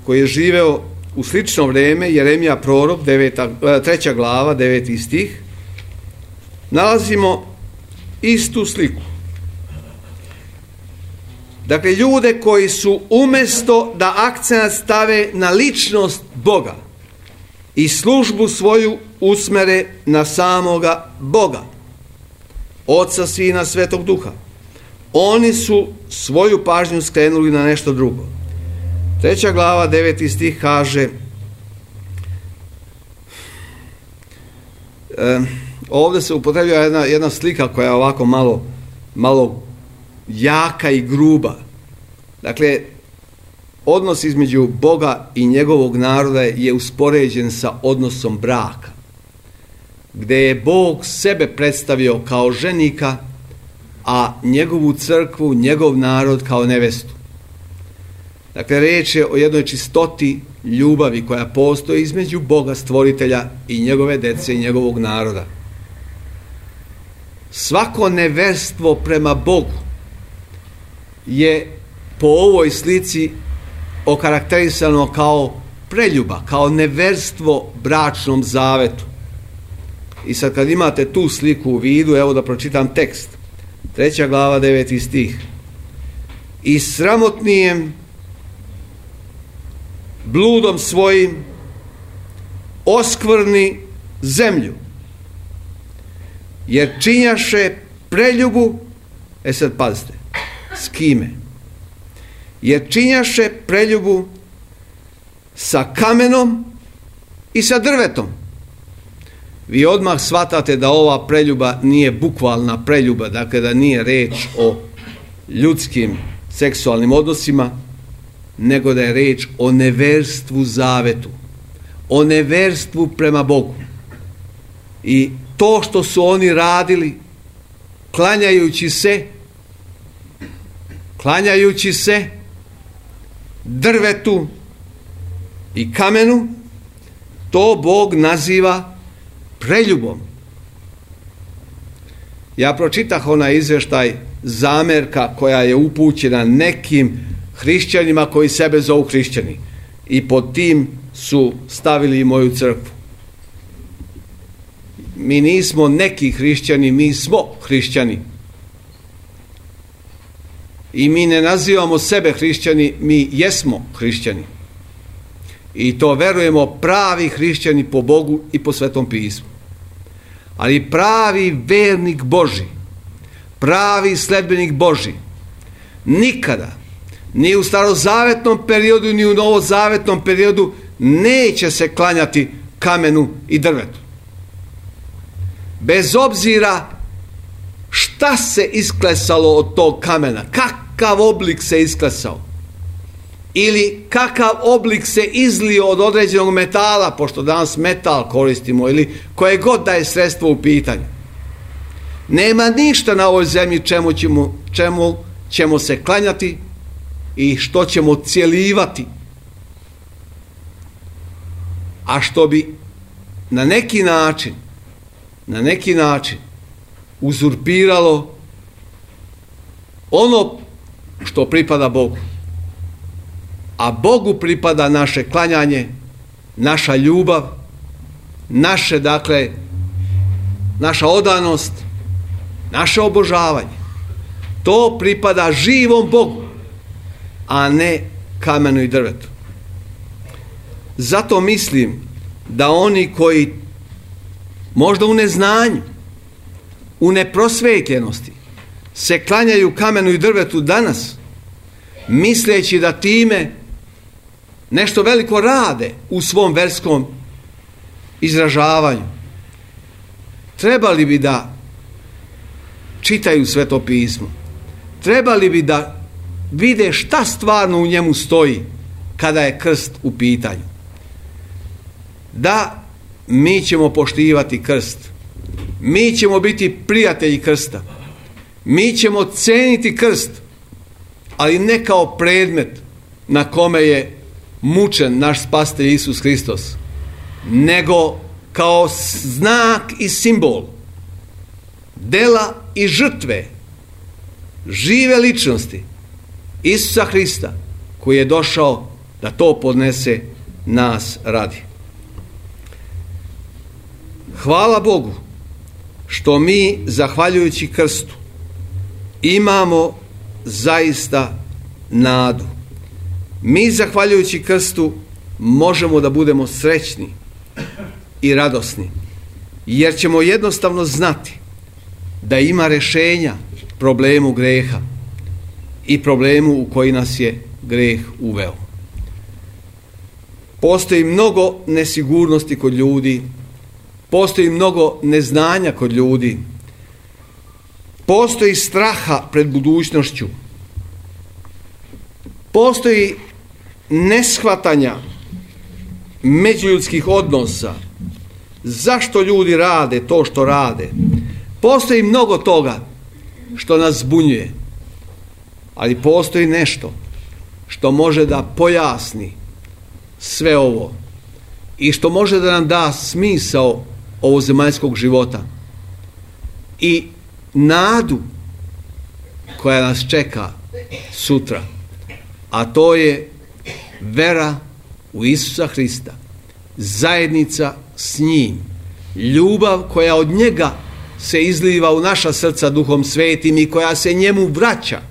koji je živeo u slično vrijeme, Jeremija prorok, deveta, treća glava, deveti stih, nalazimo istu sliku. Dakle, ljude koji su umjesto da akcenat stave na ličnost Boga i službu svoju usmere na samoga Boga, Oca, Sina, Svetog Duha, oni su svoju pažnju skrenuli na nešto drugo. Treća glava, deveti stih kaže, e, ovdje se upotrebljava jedna, jedna slika koja je ovako malo, malo jaka i gruba. Dakle, odnos između Boga i njegovog naroda je uspoređen sa odnosom braka, gdje je Bog sebe predstavio kao ženika, a njegovu crkvu, njegov narod kao nevestu. Dakle, riječ je o jednoj čistoti ljubavi koja postoji između Boga stvoritelja i njegove dece i njegovog naroda. Svako neverstvo prema Bogu je po ovoj slici okarakterisano kao preljuba, kao neverstvo bračnom zavetu. I sad kad imate tu sliku u vidu, evo da pročitam tekst. Treća glava, deveti stih. I sramotnijem bludom svojim oskvrni zemlju, jer činjaše preljubu, e sad pazite, s kime? Jer činjaše preljubu sa kamenom i sa drvetom. Vi odmah shvatate da ova preljuba nije bukvalna preljuba, dakle da nije reč o ljudskim seksualnim odnosima, nego da je reč o neverstvu zavetu, o neverstvu prema Bogu. I to što su oni radili, klanjajući se, klanjajući se drvetu i kamenu, to Bog naziva preljubom. Ja pročitah onaj izvještaj zamerka koja je upućena nekim hrišćanima koji sebe zovu hrišćani, i pod tim su stavili i moju crkvu. mi nismo neki hrišćani, mi smo hrišćani. I mi ne nazivamo sebe hrišćani, mi jesmo hrišćani. I to verujemo pravi hrišćani po Bogu i po Svetom pismu. Ali pravi vernik Božji, pravi sledbenik Božji, nikada, ni u starozavetnom periodu, ni u novozavetnom periodu, neće se klanjati kamenu i drvetu. Bez obzira šta se isklesalo od tog kamena, kakav oblik se isklesao, ili kakav oblik se izlio od određenog metala, pošto danas metal koristimo, ili koje god da je sredstvo u pitanju. Nema ništa na ovoj zemlji čemu ćemo, čemu ćemo se klanjati i što ćemo cijelivati, a što bi na neki način, na neki način uzurpiralo ono što pripada Bogu. A Bogu pripada naše klanjanje, naša ljubav, naše, dakle, naša odanost, naše obožavanje. To pripada živom Bogu, a ne kamenu i drvetu. Zato mislim da oni koji možda u neznanju, u neprosvetljenosti se klanjaju kamenu i drvetu danas, misleći da time nešto veliko rade u svom verskom izražavanju, trebali bi da čitaju Sveto pismo, trebali bi da vide šta stvarno u njemu stoji kada je krst u pitanju. Da, mi ćemo poštivati krst, mi ćemo biti prijatelji krsta, mi ćemo ceniti krst, ali ne kao predmet na kome je mučen naš spasitelj Isus Hristos, nego kao znak i simbol dela i žrtve žive ličnosti Isusa Hrista, koji je došao da to podnese nas radi. Hvala Bogu što mi, zahvaljujući krstu, imamo zaista nadu. Mi, zahvaljujući krstu, možemo da budemo srećni i radosni, jer ćemo jednostavno znati da ima rješenja problemu greha i problemu u koji nas je greh uveo. Postoji mnogo nesigurnosti kod ljudi, postoji mnogo neznanja kod ljudi, postoji straha pred budućnošću, postoji neshvatanja međuljudskih odnosa, zašto ljudi rade to što rade. Postoji mnogo toga što nas zbunjuje, ali postoji nešto što može da pojasni sve ovo i što može da nam da smisao ovozemaljskog života i nadu koja nas čeka sutra, a to je vera u Isusa Hrista, zajednica s njim, ljubav koja od njega se izliva u naša srca Duhom Svetim i koja se njemu vraća,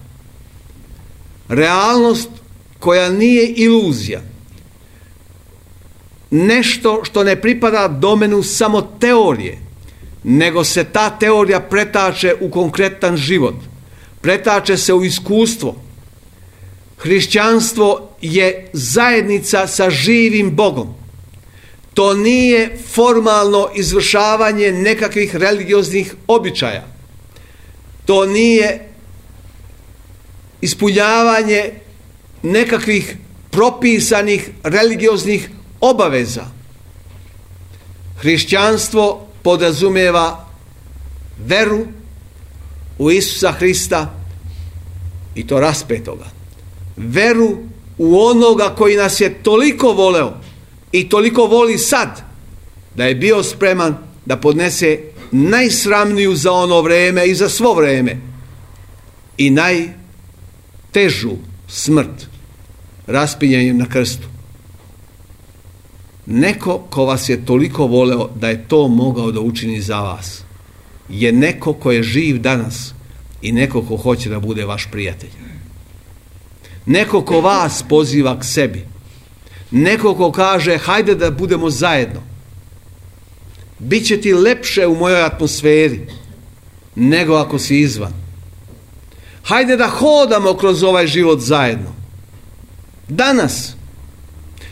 realnost koja nije iluzija, nešto što ne pripada domenu samo teorije, nego se ta teorija pretače u konkretan život, pretače se u iskustvo. Hrišćanstvo je zajednica sa živim Bogom. To nije formalno izvršavanje nekakvih religioznih običaja. To nije ispunjavanje nekakvih propisanih religioznih obaveza. Hrišćanstvo podrazumijeva veru u Isusa Hrista i to raspetoga. Veru u onoga koji nas je toliko voleo i toliko voli sad, da je bio spreman da podnese najsramniju za ono vreme i za svo vreme i najtežu smrt, raspinjanjem na krstu. neko ko vas je toliko voleo da je to mogao da učini za vas, je neko ko je živ danas i neko ko hoće da bude vaš prijatelj. Neko ko vas poziva k sebi. Neko ko kaže hajde da budemo zajedno. Biće ti lepše u mojoj atmosferi nego ako si izvan. Hajde da hodamo kroz ovaj život zajedno. Danas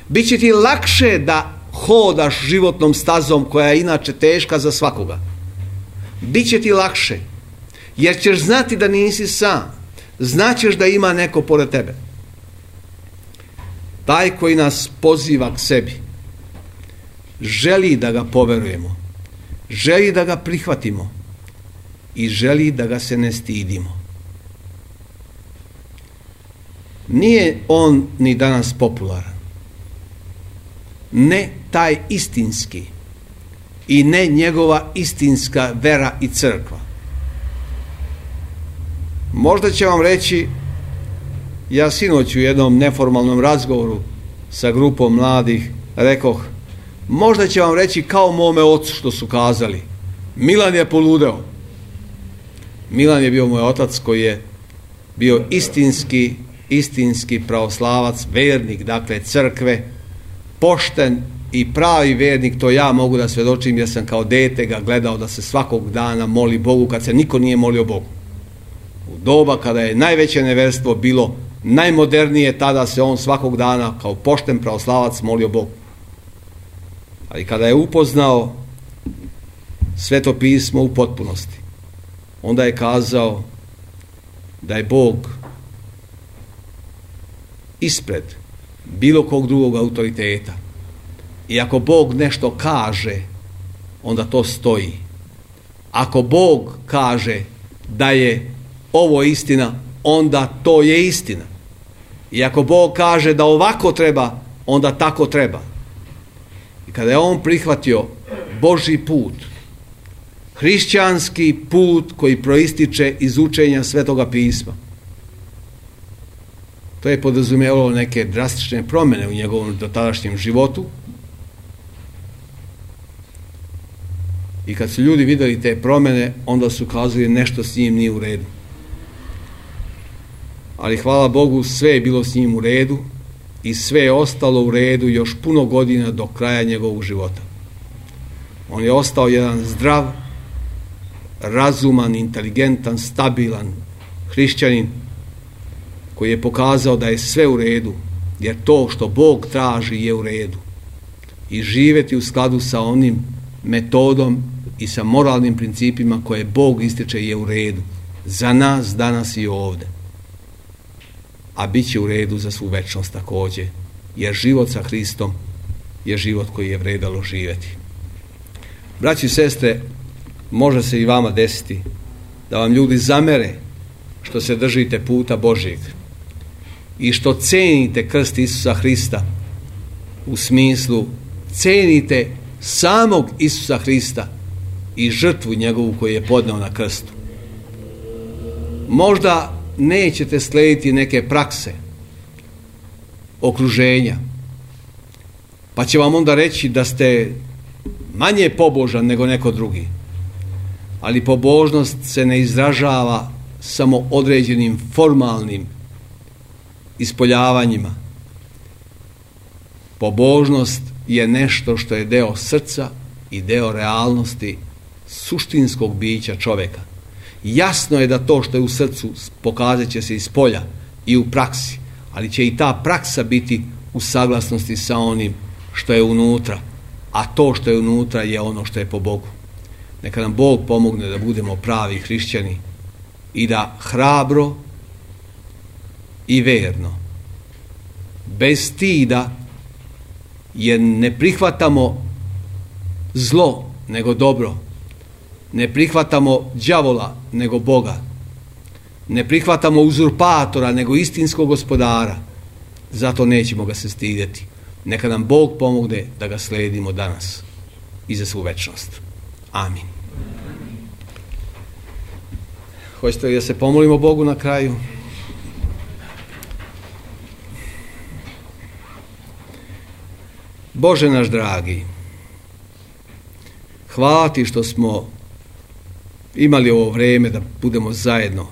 biće ti lakše da hodaš životnom stazom koja je inače teška za svakoga. Biće ti lakše jer ćeš znati da nisi sam. Znaćeš da ima neko pored tebe. Taj koji nas poziva k sebi želi da ga poverujemo, želi da ga prihvatimo i želi da ga se ne stidimo. Nije on ni danas popularan. Ne taj istinski i ne njegova istinska vera i crkva. Možda će vam reći, ja sinoć u jednom neformalnom razgovoru sa grupom mladih rekoh, možda će vam reći kao mome ocu što su kazali, Milan je poludeo. Milan je bio moj otac koji je bio istinski, istinski pravoslavac, vernik, dakle crkve, pošten i pravi vernik, to ja mogu da svedočim jer sam kao dete ga gledao da se svakog dana moli Bogu kad se niko nije molio Bogu. U doba kada je najveće neverstvo bilo najmodernije, tada se on svakog dana kao pošten pravoslavac molio Bogu. Ali kada je upoznao Sveto pismo u potpunosti, onda je kazao da je Bog ispred bilo kog drugog autoriteta. I ako Bog nešto kaže, onda to stoji. Ako Bog kaže da je ovo istina, onda to je istina. I ako Bog kaže da ovako treba, onda tako treba. I kada je on prihvatio Božji put, hrišćanski put koji proističe iz učenja Svetoga pisma, to je podrazumijevalo neke drastične promjene u njegovom dotadašnjem životu. I kad su ljudi vidjeli te promjene, onda su kazali nešto s njim nije u redu. Ali hvala Bogu, sve je bilo s njim u redu i sve je ostalo u redu još puno godina do kraja njegovog života. On je ostao jedan zdrav, razuman, inteligentan, stabilan hrišćanin koji je pokazao da je sve u redu, jer to što Bog traži je u redu. I živjeti u skladu sa onim metodom i sa moralnim principima koje Bog ističe je u redu. Za nas danas i ovdje. A bit će u redu za svu večnost također, jer život sa Hristom je život koji je vredalo živjeti. Braći i sestre, može se i vama desiti da vam ljudi zamere što se držite puta Božjeg i što cenite krst Isusa Hrista u smislu cenite samog Isusa Hrista i žrtvu njegovu koju je podneo na krstu. Možda nećete slijediti neke prakse okruženja, pa će vam onda reći da ste manje pobožan nego neko drugi. Ali pobožnost se ne izražava samo određenim formalnim ispoljavanjima. Pobožnost je nešto što je deo srca i deo realnosti suštinskog bića čovjeka. Jasno je da to što je u srcu pokazat će se iz polja i u praksi, ali će i ta praksa biti u saglasnosti sa onim što je unutra, a to što je unutra je ono što je po Bogu. Neka nam Bog pomogne da budemo pravi hrišćani i da hrabro i verno, bez stida, jer ne prihvatamo zlo nego dobro, ne prihvatamo đavola nego Boga, ne prihvatamo uzurpatora nego istinskog gospodara, zato nećemo ga se stidjeti. Neka nam Bog pomogne da ga slijedimo danas i za svu večnost. Amin. Hoćete li da se pomolimo Bogu na kraju? Bože naš dragi, hvala ti što smo imali ovo vrijeme da budemo zajedno.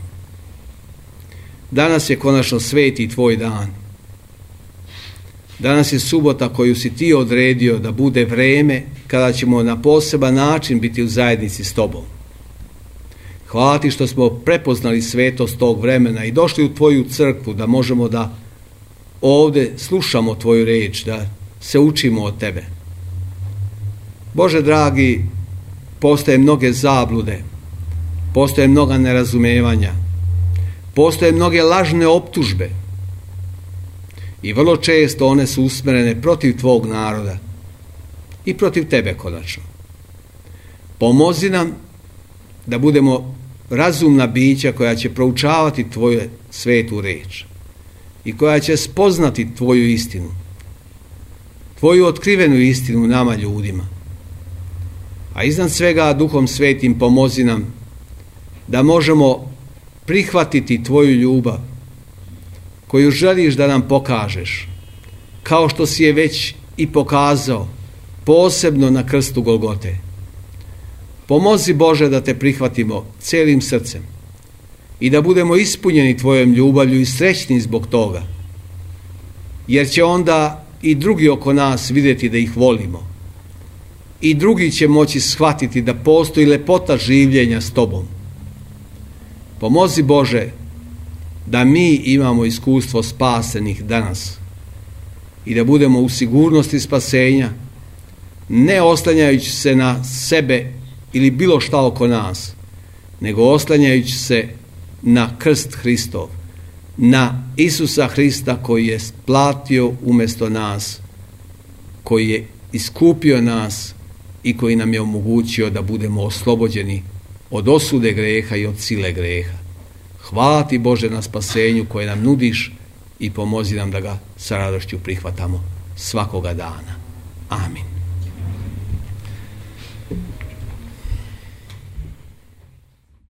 Danas je konačno sveti tvoj dan. Danas je subota koju si ti odredio da bude vrijeme kada ćemo na poseban način biti u zajednici s tobom. Hvala ti što smo prepoznali svetost tog vremena i došli u tvoju crkvu da možemo da ovdje slušamo tvoju riječ, da se učimo od tebe. Bože dragi, postoje mnoge zablude, postoje mnoga nerazumevanja, postoje mnoge lažne optužbe i vrlo često one su usmjerene protiv tvog naroda i protiv tebe konačno. Pomozi nam da budemo razumna bića koja će proučavati tvoju svetu riječ i koja će spoznati tvoju istinu, tvoju otkrivenu istinu nama ljudima. A iznad svega Duhom Svetim pomozi nam da možemo prihvatiti tvoju ljubav koju želiš da nam pokažeš, kao što si je već i pokazao, posebno na krstu Golgote. Pomozi Bože da te prihvatimo cijelim srcem i da budemo ispunjeni tvojom ljubavlju i srećni zbog toga, jer će onda i drugi oko nas vidjeti da ih volimo i drugi će moći shvatiti da postoji lepota življenja s tobom. Pomozi Bože da mi imamo iskustvo spasenih danas i da budemo u sigurnosti spasenja, ne oslanjajući se na sebe ili bilo šta oko nas, nego oslanjajući se na krst Hristov, na Isusa Hrista koji je platio umjesto nas, koji je iskupio nas i koji nam je omogućio da budemo oslobođeni od osude greha i od sile greha. Hvala ti Bože na spasenju koje nam nudiš i pomozi nam da ga sa radošću prihvatamo svakoga dana. Amin.